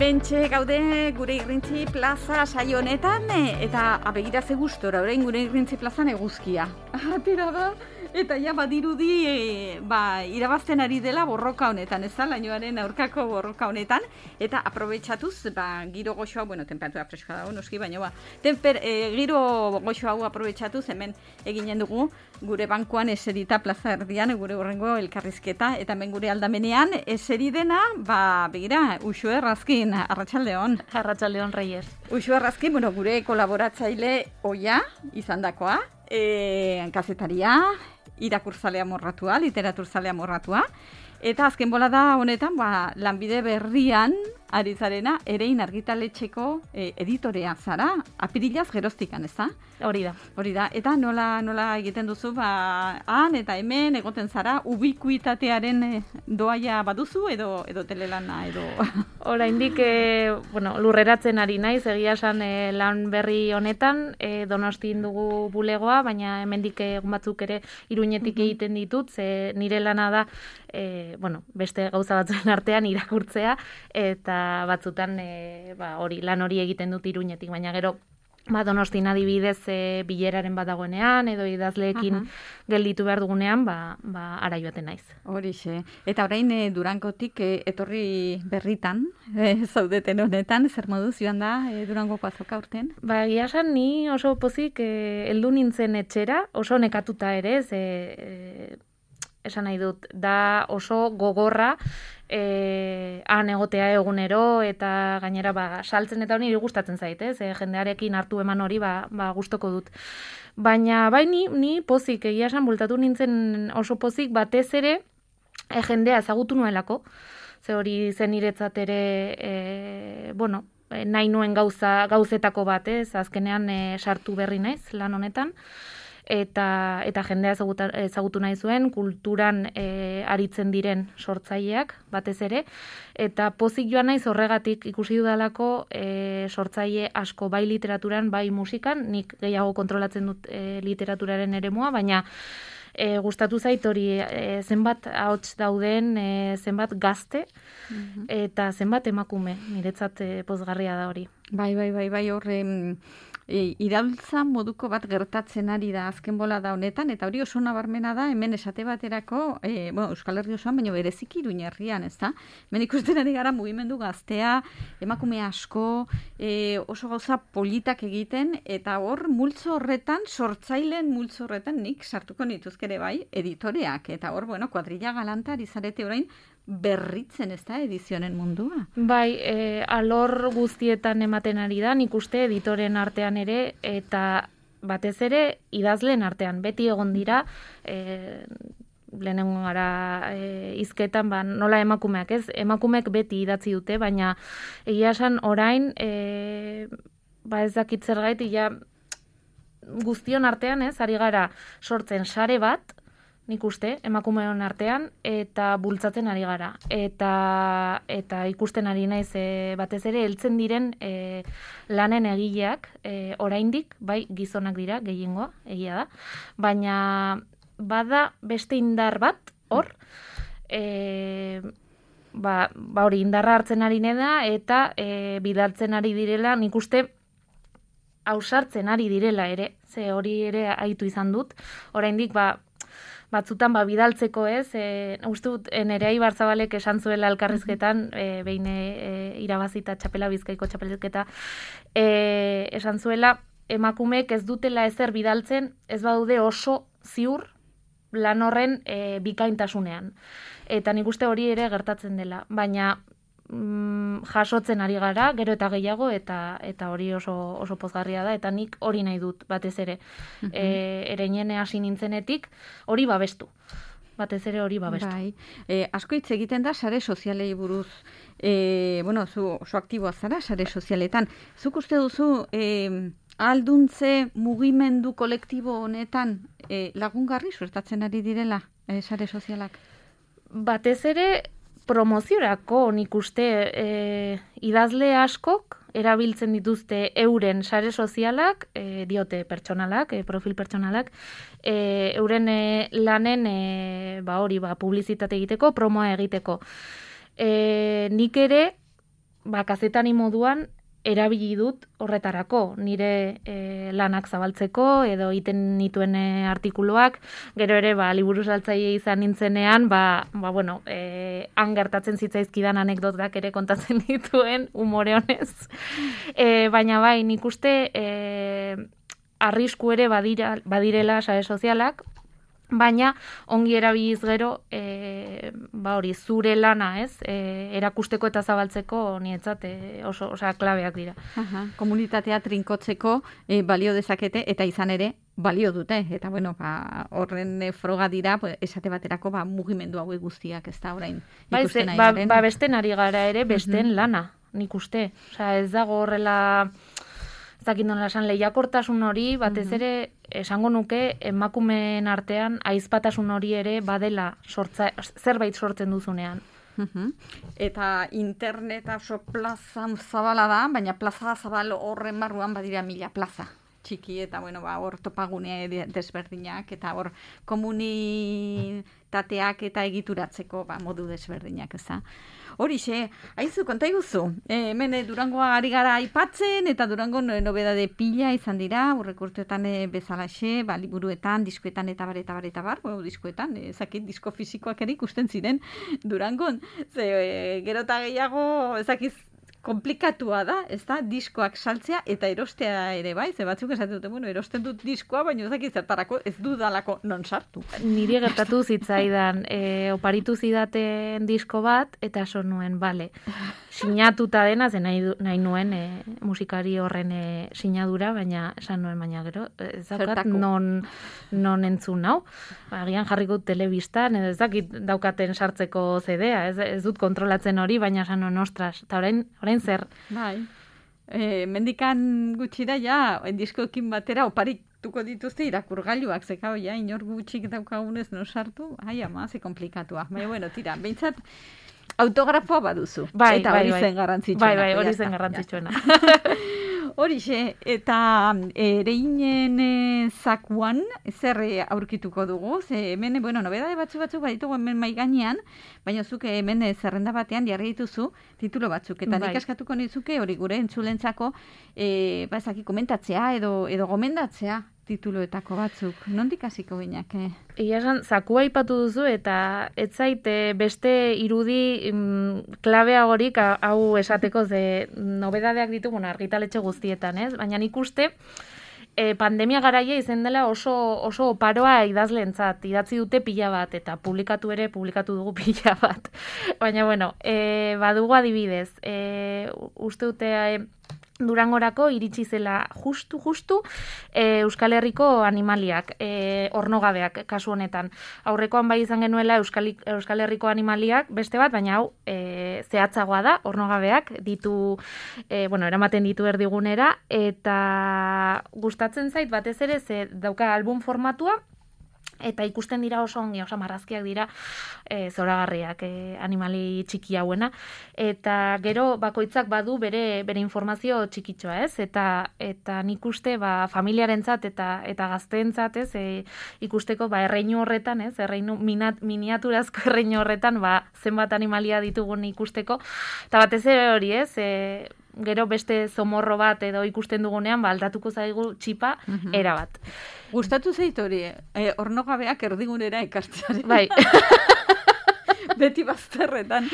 Hementxe gaude gure Irrintzi plaza saio honetan eta begira ze gustora orain gure Irrintzi plazan eguzkia. Atera da eta ja badirudi irabazten ari dela borroka honetan, ez da, lainoaren aurkako borroka honetan, eta aprobetxatuz, giro goxo hau, temperatura freskoa dago noski, baina giro goxo hau aprobetxatuz hemen eginen dugu gure bankuan eserita plaza erdian, gure horrengo elkarrizketa, eta hemen gure aldamenean eseri dena, begira, Uxue Errazkin, Arratsaldeon. Arratsaldeon, Reyes. Uxue Errazkin, gure kolaboratzaile oia izandakoa, kazetaria, irakurzalea morratua, literaturzalea morratua, eta azken bolada honetan, lanbide berrian ari zarena, Erein argitaletxeko editorea zara, apirilaz geroztikan, ez da? Hori da. Eta nola egiten duzu, han eta hemen egoten zara, ubikuitatearen doaia baduzu, edo telelana, edo... Oraindik lurreratzen ari naiz, egia esan lan berri honetan, Donostin dugu bulegoa, baina hemendik egun batzuk ere Iruñetik egiten ditut, ze nire lana da, beste gauza batzuen artean irakurtzea, eta batzutan lan hori egiten dut Iruñetik, baina gero Donostin adibidez bileraren bat dagoenean, edo idazleekin gelditu behar dugunean, ara joaten naiz. Horixe. Eta orain Durangotik etorri berritan, zaudeten honetan, zer moduz joan da Durangoko azoka urten? Egia esan, ni oso pozik heldu nintzen etxera, oso nekatuta ere, esan nahi dut, da oso gogorra, han egotea egunero, eta gainera saltzen eta hori gustatzen zait, jendearekin hartu eman hori gustoko dut. Baina ni pozik, egia esan bultatu nintzen oso pozik, batez ere jendea ezagutu nuelako, ze hori zen niretzat ere, nahi nuen gauzetako bat, azkenean sartu berri naiz lan honetan, eta jendea ezagutu nahi zuen, kulturan aritzen diren sortzaileak, batez ere, eta pozik joan naiz horregatik ikusi dudalako sortzaile asko bai literaturan, bai musikan, nik gehiago kontrolatzen dut literaturaren eremua, baina gustatu zait hori zenbat ahots dauden, zenbat gazte, eta zenbat emakume, niretzat pozgarria da hori. Bai, horre... iraultza moduko bat gertatzen ari da azken bolada honetan, eta hori oso nabarmena da, hemen esate baterako, Euskal Herri osoan, baina bereziki Iruña herrian, ez da? Hemen ikusten ari gara mugimendu gaztea, emakume asko, oso gauza politak egiten, eta hor multzo horretan, sortzaileen multzo horretan, nik sartuko nituzkere bai, editoreak, eta hor, kuadrilla galanta ari zarete orain, berritzen, ez da, edizionen mundua? Bai, alor guztietan ematen ari da, nik uste editoren artean ere, eta batez ere idazleen artean, beti egon dira, lehenengo gara hizketan, nola emakumeak, ez? Emakumeek beti idatzi dute, baina egia esan orain, ez dakit zergaiti, guztion artean, ez, ari gara sortzen sare bat, nik uste, emakumeon artean, eta bultzatzen ari gara. Eta ikusten ari naiz batez ere, heltzen diren lanen egileak, oraindik, bai gizonak dira, gehiengoa, egia da, baina bada beste indar bat, hor, hori indarra hartzen ari da, eta bidaltzen ari direla, nik uste, ausartzen ari direla ere, ze hori ere aitu izan dut, oraindik, batzutan bidaltzeko ez, uste dut Nerea Ibarzabalek esan zuela elkarrizketan, behin irabazita Bizkaiko txapelketa, esan zuela emakumeek ez dutela ezer bidaltzen, ez badaude oso ziur lan horren bikaintasunean. Eta nik uste hori ere gertatzen dela, baina jasotzen ari gara, gero eta gehiago, eta hori oso pozgarria da, eta nik hori nahi dut, batez ere. Ereinen hasi nintzenetik, hori babestu. Batez ere hori babestu. Bai. Asko hitz egiten da sare sozialei buruz. Zu oso aktiboa zara sare sozialetan. Zuk uste duzu alduntze mugimendu kolektibo honetan lagungarri suertatzen ari direla sare sozialak? Batez ere, promoziorako nik uste idazle askok erabiltzen dituzte euren sare sozialak, diote pertsonalak, profil pertsonalak, euren lanen publizitate egiteko, promoa egiteko. Nik ere kazetari moduan erabili dut horretarako, nire lanak zabaltzeko, edo iten nituen artikuluak, gero ere, liburu saltzaile izan nintzenean, bueno, han gertatzen zitzaizkidan anekdotak ere kontatzen dituen, umore honez. Baina bai, nik uste arrisku ere badirela sare sozialak, baina ongi erabiliz gero, hori, zure lana, ez? Erakusteko eta zabaltzeko nietzat oso klabeak dira. Komunitatea trinkotzeko balio dezakete eta izan ere balio dute. Eta bueno, horren froga dira, esate baterako mugimendu hauek guztiak, ez da orain ikusten nahi garen. Besten ari gara ere, besten lana, nik uste. Ez dago horrela... Zakindola esan lehiakortasun hori, batez ere, esango nuke, emakumeen artean, aizpatasun hori ere badela zerbait sortzen duzunean. Eta internet oso plazan zabala da, baina plaza zabal horren barruan badira 1000 plaza. Txiki eta, bueno, hor topagune desberdinak, eta hor komunitateak eta egituratzeko modu desberdinak, ez da. Horixe, haizu, konta iguzu. Hemen Durangoa ari gara aipatzen, eta Durango nobedade pila izan dira, urrekurtuetan bezalaxe, liburuetan, diskoetan, eta bar, bueno, diskoetan, ezakit, disko fisikoak ere ikusten ziren Durangon. Gero eta gehiago, ezakiz, komplikatua da, ez da, diskoak saltzea eta erostea ere bai, ze batzuk esaten dute, bueno, erosten dut diskoa, baina ezakit zertarako ez dudalako non sartu. Niri gertatu zitzaidan, oparitu zidaten disko bat, eta esan nuen, bale, sinatuta dena, ze nahi nuen musikari horren sinadura, baina esan nuen, baina gero, ez daukat non entzun hau. Agian jarriko telebistan, edo ez dakit daukaten sartzeko CD-a, ez dut kontrolatzen hori, baina esan nuen, ostras, eta orain zer. Bai. Mendikan gutxi da, ja, diskoekin batera oparituko dituzte irakurgailuak, zeka, ja, inor gutxik daukagunez no sartu, ze komplikatua. Baina, bueno, tira, behintzat, autografoa baduzu. Eta hori zen garrantzitsuena. Bai, hori zen garrantzitsuena. Horixe, eta ereinen zakuan, zer aurkituko dugu, ze hemen, bueno, nobedade batzuk baditugu hemen mai gainean, baina zuke hemen zerrenda batean jarri dituzu titulo batzuk, eta nik askatuko nizuke hori gure entzulentzako, ezaki komentatzea edo gomendatzea tituloetako batzuk. Nondik hasiko ginak? Ia esan, zakua aipatu duzu eta ez zaite beste irudi klabeagorik hau esateko ze nobedadeak ditugu argitaletxe guztietan, ez? Baina nik uste pandemia garaia izan dela oso oparoa idazleentzat, idatzi dute pila bat eta publikatu dugu pila bat. Baina bueno, badugu adibidez, uste dute Durangorako iritsi zela justu Euskal Herriko animaliak, ornogabeak kasu honetan. Aurrekoan bai izan genuela Euskal Herriko animaliak beste bat, baina hau zehatzagoa da, ornogabeak ditu, eramaten ditu erdigunera, eta gustatzen zait batez ere ze dauka album formatua, eta ikusten dira oso ongi, oso marrazkiak dira zoragarriak animali txiki hauena, eta gero bakoitzak badu bere informazio txikitxoa, ez? Eta nik uste familiarentzat eta gazteentzat, ez? Ikusteko erreinu horretan, ez? Miniaturazko erreinu horretan zenbat animalia ditugun ikusteko, eta batez ere hori, ez? Gero beste zomorro bat edo ikusten dugunean, aldatuko zaigu txipa erabat. Gustatu zait hori, ornogabeak erdigunera ekartzearen. Bai. Beti bazterretan.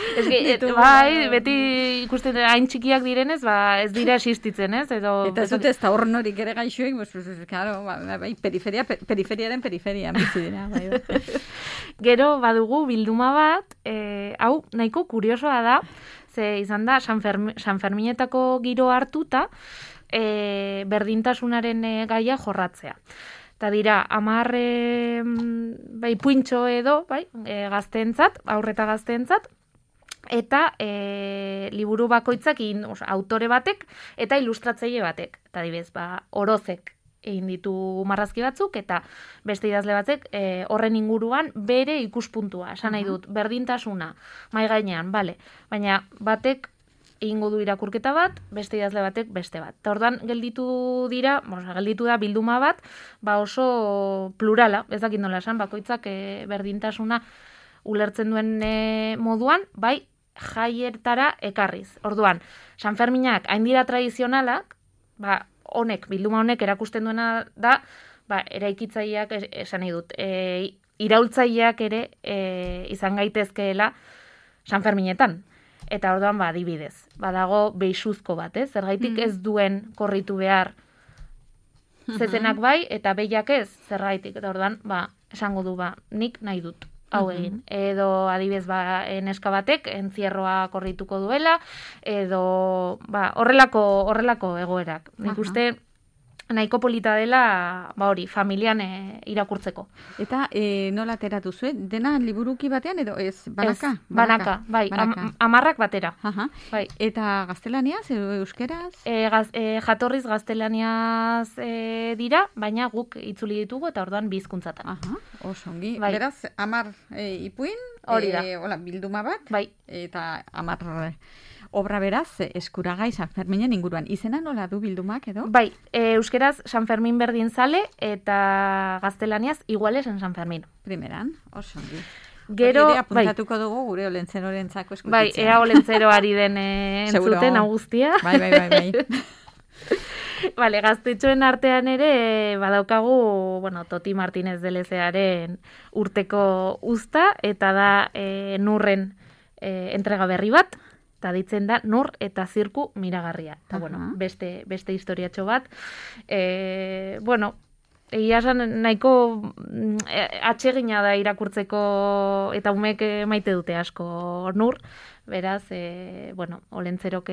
Bai, beti ikusten hain txikiak direnez, ez dira existitzen, ez? Eta ez dute ez da ornorik ere gaixoik, periferiaren periferian bizi dira. Gero badugu bilduma bat, hau nahiko kuriosoa da, ze izan da San Ferminetako giro hartuta berdintasunaren gaia jorratzea. Eta dira, 10 puintxo edo, gazteentzat, aurreta gazteentzat, eta liburu bakoitzak autore batek eta ilustratzaile batek. Eta adibidez, Orozek egin ditu marrazki batzuk, eta beste idazle batzek horren inguruan bere ikuspuntua. Esan nahi dut, berdintasuna, mai gainean, bale. Baina batek egingo du irakurketa bat, beste idazle batek beste bat. Eta orduan gelditu da bilduma bat, oso plurala, ez dakit nola esan, bakoitzak berdintasuna ulertzen duen moduan, bai, jaietara ekarriz. Orduan, San Ferminak hain dira tradizionalak, bilduma honek erakusten duena da, eraikitzaileak esan nahi dut, iraultzaileak ere izan gaitezkeela San Ferminetan. Eta orduan, adibidez, badago beixuzko bat, zergaitik ez duen korritu behar zezenak bai, eta behiak ez, zergaitik. Eta orduan, esango du, nik nahi dut, hau egin. Edo, adibidez, neska batek, entzierroa korrituko duela, edo, horrelako egoerak. Nik uste, nahiko polita dela, familian irakurtzeko. Eta nola ateratu zuen? Dena liburuki batean edo ez? Banaka? Ez, banaka, bai. 10 batera. Bai. Eta gaztelaniaz edo euskeraz? Jatorriz gaztelaniaz dira, baina guk itzuli ditugu eta orduan bi hizkuntzatan. Oso ongi. Bai. Beraz, 10 ipuin, hori da. Bilduma bat, bai. Eta 10 obra beraz, eskuragai San Ferminen inguruan. Izena nola du bildumak edo? Bai, euskeraz San Fermin berdin zale eta gaztelaniaz iguales en San Fermin. Primeran, oso ongi. Gero, apuntatuko dugu gure olentzerorentzako eskutitzea. Bai, ea olentzero ari den entzuten hau guztia. Bai. Vale, gaztetxoen artean ere badaukagu, Toti Martínez de Lezearen urteko uzta, eta da Nurren entrega berri bat, eta ditzen da Nur eta Zirku miragarria. Eta, beste historiatxo bat. Egia esan nahiko atsegina da irakurtzeko, eta umek maite dute asko Nur, beraz, olentzerok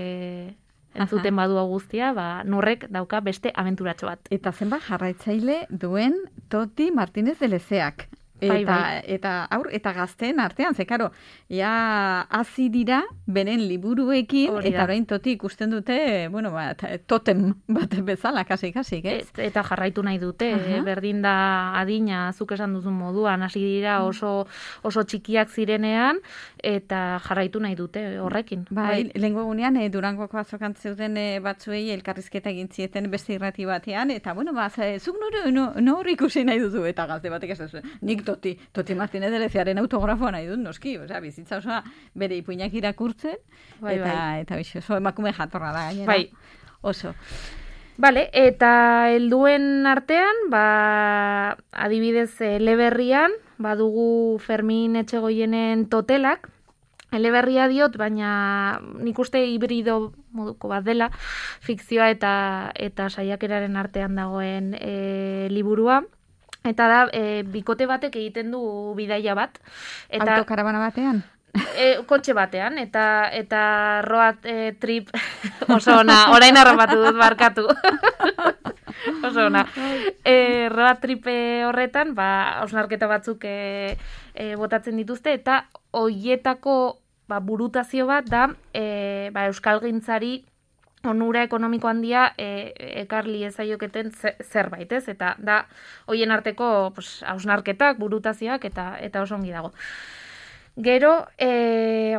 entzuten badu guztia, Nurrek dauka beste abenturatxo bat. Eta zenbat jarraitzaile duen Toti Martínez de Lezeak. Eta aur eta gazteen artean, karo, hasi dira beren liburuekin, eta orain Toti ikusten dute, totem bat bezala, kasi, ez? Eta jarraitu nahi dute, berdin da adina, zuk esan duzun moduan, hasi dira oso txikiak zirenean, eta jarraitu nahi dute horrekin. Bai, lehenko egunean, Durangoko azokan zeuden batzuei elkarrizketa egin zieten beste irrati batean, eta, zuk nor ikusi nahi duzu, eta gazte batek ez duzu, nik Toti Martínez de Lezearen autografoa nahi dut, noski, bizitza osoa bere ipuinak irakurtzen, eta oso emakume jatorra da gainera. Bai. Oso. Vale, eta helduen artean, adibidez, eleberrian, badugu Fermin Etxegoienen Totelak, eleberria diot, baina nik uste hibrido moduko bat dela, fikzioa eta saiakeraren artean dagoen liburua. Eta da, bikote batek egiten du bidaia bat. Autokarabana batean? Kotxe batean, eta road trip oso ona, orain harrapatu dut, barkatu. Oso ona. Road trip horretan, hausnarketa batzuk botatzen dituzte, eta hoietako burutazio bat da euskalgintzari onura ekonomiko handia ekarli ezaioketen zerbait, ez? Eta da, hoien arteko hausnarketak, burutazioak, eta oso ongi dago. Gero,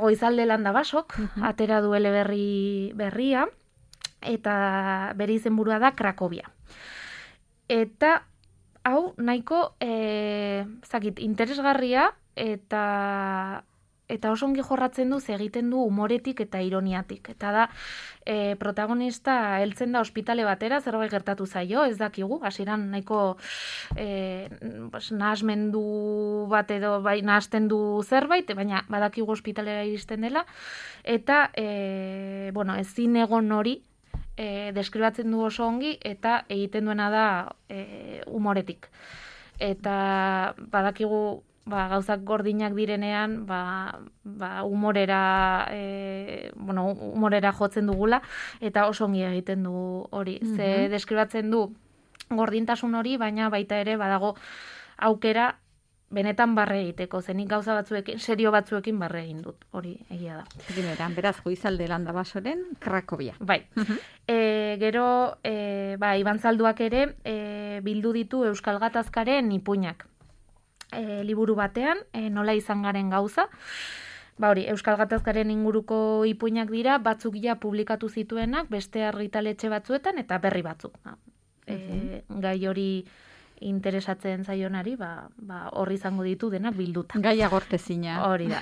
Goizalde Landabasok, atera du berria, eta bere izenburua da Krakobia. Eta, hau, nahiko, interesgarria, eta oso ongi jorratzen du, egiten du humoretik eta ironiatik. Eta da, protagonista heltzen da ospitale batera, zerbait gertatu zaio, ez dakigu, hasieran nahiko nahasmendu bat edo nahasten du zerbait, baina badakigu ospitalera iristen dela, eta ezin egon hori deskribatzen du oso ongi, eta egiten duena da humoretik. Eta badakigu gauzak gordinak direnean, humorera jotzen dugula, eta oso ongi egiten du hori. Ze deskribatzen du gordintasun hori, baina baita ere badago aukera benetan barre egiteko. Zenik gauza batzuekin, serio batzuekin barre egin dut, hori egia da. Primeran, beraz, Goizalde Landabasoren Krakobia. Bai. Gero, Iban Zalduak ere bildu ditu Euskal Gatazkaren ipuinak. Liburu batean, nola izan garen gauza. Euskal Gatazkaren inguruko ipuinak dira, batzuk ja publikatu zituenak, beste argitaletxe batzuetan, eta berri batzuk. Gai hori interesatzen zaionari, horri izango ditu denak bilduta. Gaia gortezina. Hori da.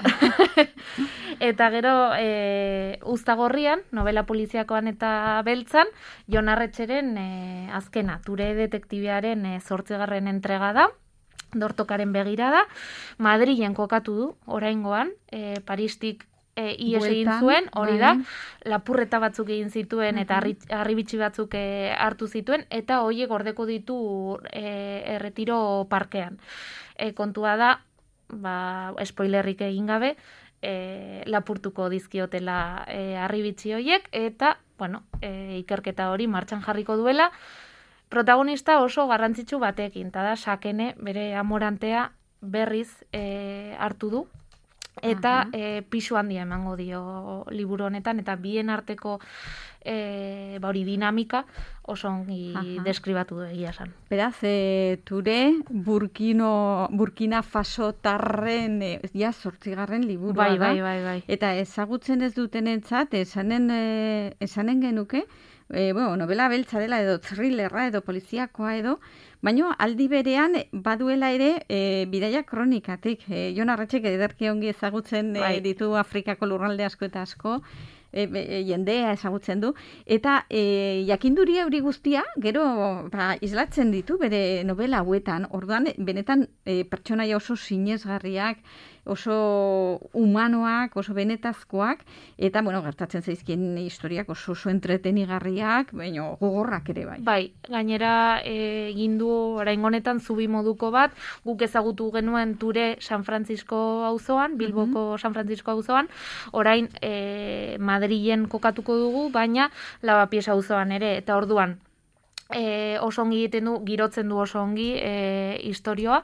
Eta gero, Uztagorrian, novela poliziakoan eta beltzan, Jon Arretxeren azkena, Ture detektibearen 8. entrega da, Dortokaren begirada, Madrilen kokatu du, oraingoan, Paristik ies egin zuen, hori da, lapurreta batzuk egin zituen eta harribitxi batzuk hartu zituen, eta horiek gordeko ditu Erretiro parkean. Kontua da, spoilerrik egin gabe, lapurtuko dizkiotela harribitxi horiek, eta, ikerketa hori martxan jarriko duela, protagonista oso garrantzitsu batekin, eta da, Sakene bere amorantea berriz hartu du, eta pisu handia emango dio liburu honetan, eta bien arteko hori dinamika oso ongi deskribatu du egia esan. Beraz, Ture Burkina Faso tarren 8. liburua da. Bai. Eta ezagutzen ez dutenentzat, esanen genuke, novela beltza dela edo thrillerra edo poliziakoa edo, baina aldi berean baduela ere bidaia kronikatik. Jon Arretxek ederki ongi ezagutzen ditu Afrikako lurralde asko eta asko, jendea ezagutzen du, eta jakinduria hori guztia, gero islatzen ditu bere novela hauetan, orduan benetan pertsonaia oso sinesgarriak, oso humanoak, oso benetazkoak, eta, gertatzen zaizkien historiak oso entretenigarriak, baina gogorrak ere bai. Bai, gainera egin du orain honetan zubi moduko bat, guk ezagutu genuen Ture San Francisco auzoan, Bilboko San Francisco auzoan, orain Madrilen kokatuko dugu, baina Lavapies auzoan ere, eta orduan oso ongi egiten du, girotzen du oso ongi istorioa,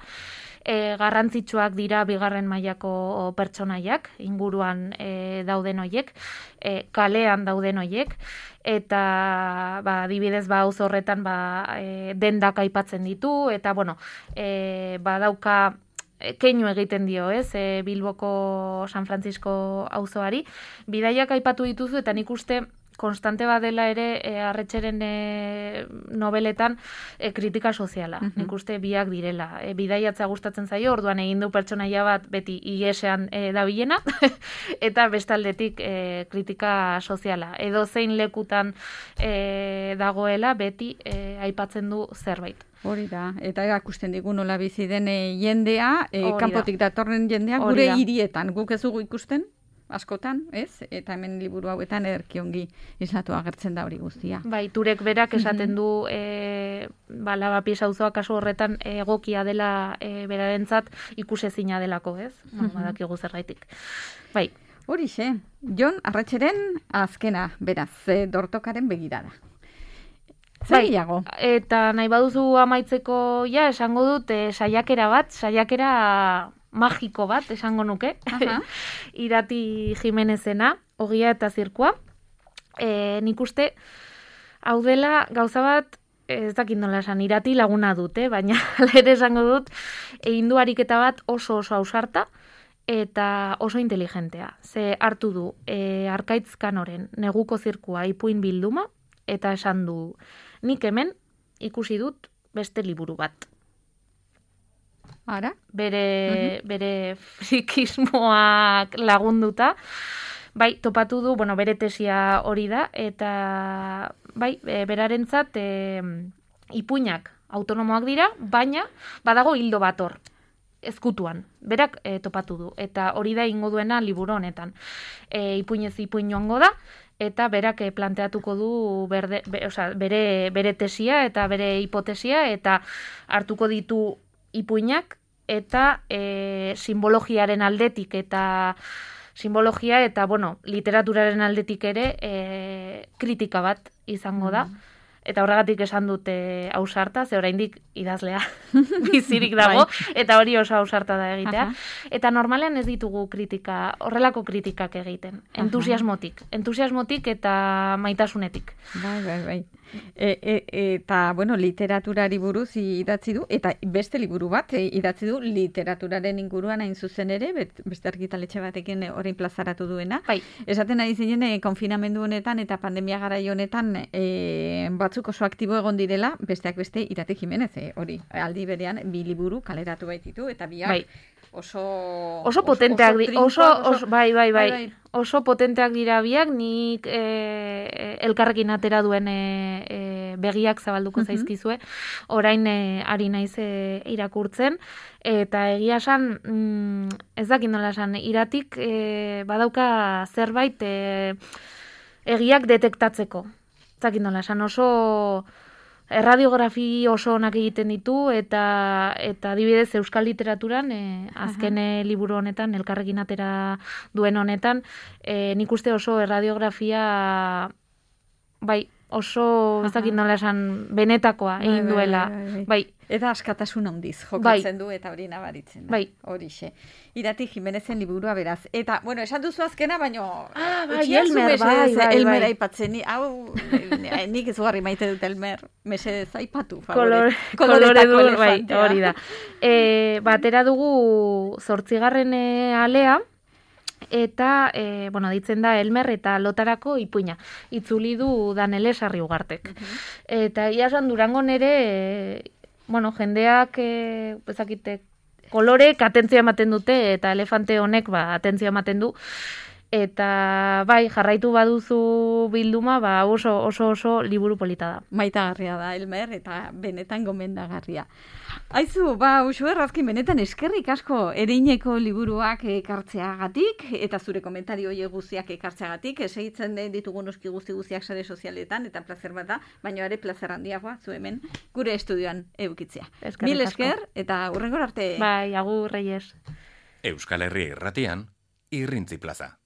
garrantzitsuak dira bigarren mailako pertsonaiak, inguruan dauden hoiek, kalean dauden hoiek, eta adibidez auzo horretan dendak aipatzen ditu, eta badauka keinu egiten dio, Bilboko San Francisco auzoari. Bidaiak aipatu dituzu, eta nik uste konstante badela ere Arretxeren nobeletan kritika soziala. Nik uste biak direla. Bidaiatza gustatzen zaio, orduan egin du pertsonaia bat beti igesean dabilena, eta bestaldetik kritika soziala. Edo zein lekutan dagoela beti aipatzen du zerbait. Hori da, eta erakusten digu nola bizi den jendea, kanpotik datorren jendea, gure hirietan, guk ez dugu ikusten? Askotan, ez? Eta hemen liburu hauetan ederki ongi islatu agertzen da hori guztia. Bai, Turek berak esaten du Lavapies auzoa kasu horretan egokia dela berarentzat ikusezina delako, ez? Badakigu zergaitik. Bai. Horixe, Jon Arretxeren azkena, beraz, Dortokaren begirada. Zailago. Eta nahi baduzu amaitzeko esango dut saiakera magiko bat, esango nuke, Irati Jimenezena, Ogia eta Zirkua. Nik uste, hau dela gauza bat, ez dakit nola esan, Irati laguna dut, baina ere esango dut, egin du ariketa bat oso ausarta, eta oso inteligentea. Ze hartu du, Arkaitz Kanoren Neguko Zirkua ipuin bilduma, eta esan du, nik hemen ikusi dut beste liburu bat. Ara? Bere frikismoak lagunduta, topatu du, bere tesia hori da, eta berarentzat ipuinak autonomoak dira, baina badago hildo bat hor, ezkutuan, berak topatu du, eta hori da ingo duena liburu honetan. Ipuinez ipuin joango da, eta berak planteatuko du bere tesia eta bere hipotesia, eta hartuko ditu ipuinak, eta simbologiaren aldetik, eta literaturaren aldetik ere kritika bat izango da. Eta horregatik esan dute ausarta, ze oraindik idazlea bizirik dago, eta hori oso ausarta da egitea. Eta normalean ez ditugu horrelako kritikak egiten. Entusiasmotik eta maitasunetik. Bai. Eta, bueno, literaturari buruz idatzi du, eta beste liburu bat idatzi du literaturaren inguruan hain zuzen ere, beste argitaletxe batekin orain plazaratu duena. Bai. Esaten ari zinen, konfinamendu honetan eta pandemia garai honetan batzuk oso aktibo egon direla, besteak beste Irati Jimenez, hori, aldi berean, 2 liburu kaleratu baititu, eta biak Bai. oso potenteak dira, bai. Oso potenteak dira biak, nik elkarrekin atera duen begiak zabalduko zaizkizue, orain ari naiz irakurtzen, eta egia esan, ez dakit nola esan, Iratik badauka zerbait egiak detektatzeko. Ez dakit nola esan, oso erradiografi oso onak egiten ditu, eta adibidez euskal literaturan, azken liburu honetan, elkarrekin atera duen honetan, nik uste oso erradiografia, bai, oso, ez dakit nola esan, benetakoa egin duela. Bai. Eta askatasun handiz jokatzen du eta hori nabaritzen. Bai. Horixe. Irati Jimenezen liburua beraz. Eta, bueno, esan duzu azkena, baino... bai, Elmer, bai. Elmer aipatzen. Hau, nik ezugarri maite dut Elmer. Mesedez, aipatu, favore. Koloretako elefantea. Bai, hori da. Batera dugu 8. alea, eta, bueno, ditzen da Elmer eta Lotarako ipuina. Itzuli du Danele Sarriugartek. Eta iasan Durangon ere, bueno, jendeak, ezakite, kolorek atentzioa ematen dute, eta elefante honek atentzioa ematen du. Eta bai, jarraitu baduzu bilduma, oso liburu polita da. Maitagarria da, Elmer, eta benetan gomendagarria. Aizu, Uxue Errazkin, benetan eskerrik asko ereineko liburuak ekartzeagatik, eta zure komentario horiek guztiak ekartzeagatik, segitzen ditugun noski guztiak sare sozialetan, eta plazer bat da, baina ere plazer handiagoa, zu hemen, gure estudioan eukitzea. Mil esker, eta hurrengor arte. Bai, agur, Reyes. Euskal Herria Irratian, Irrintzi Plaza.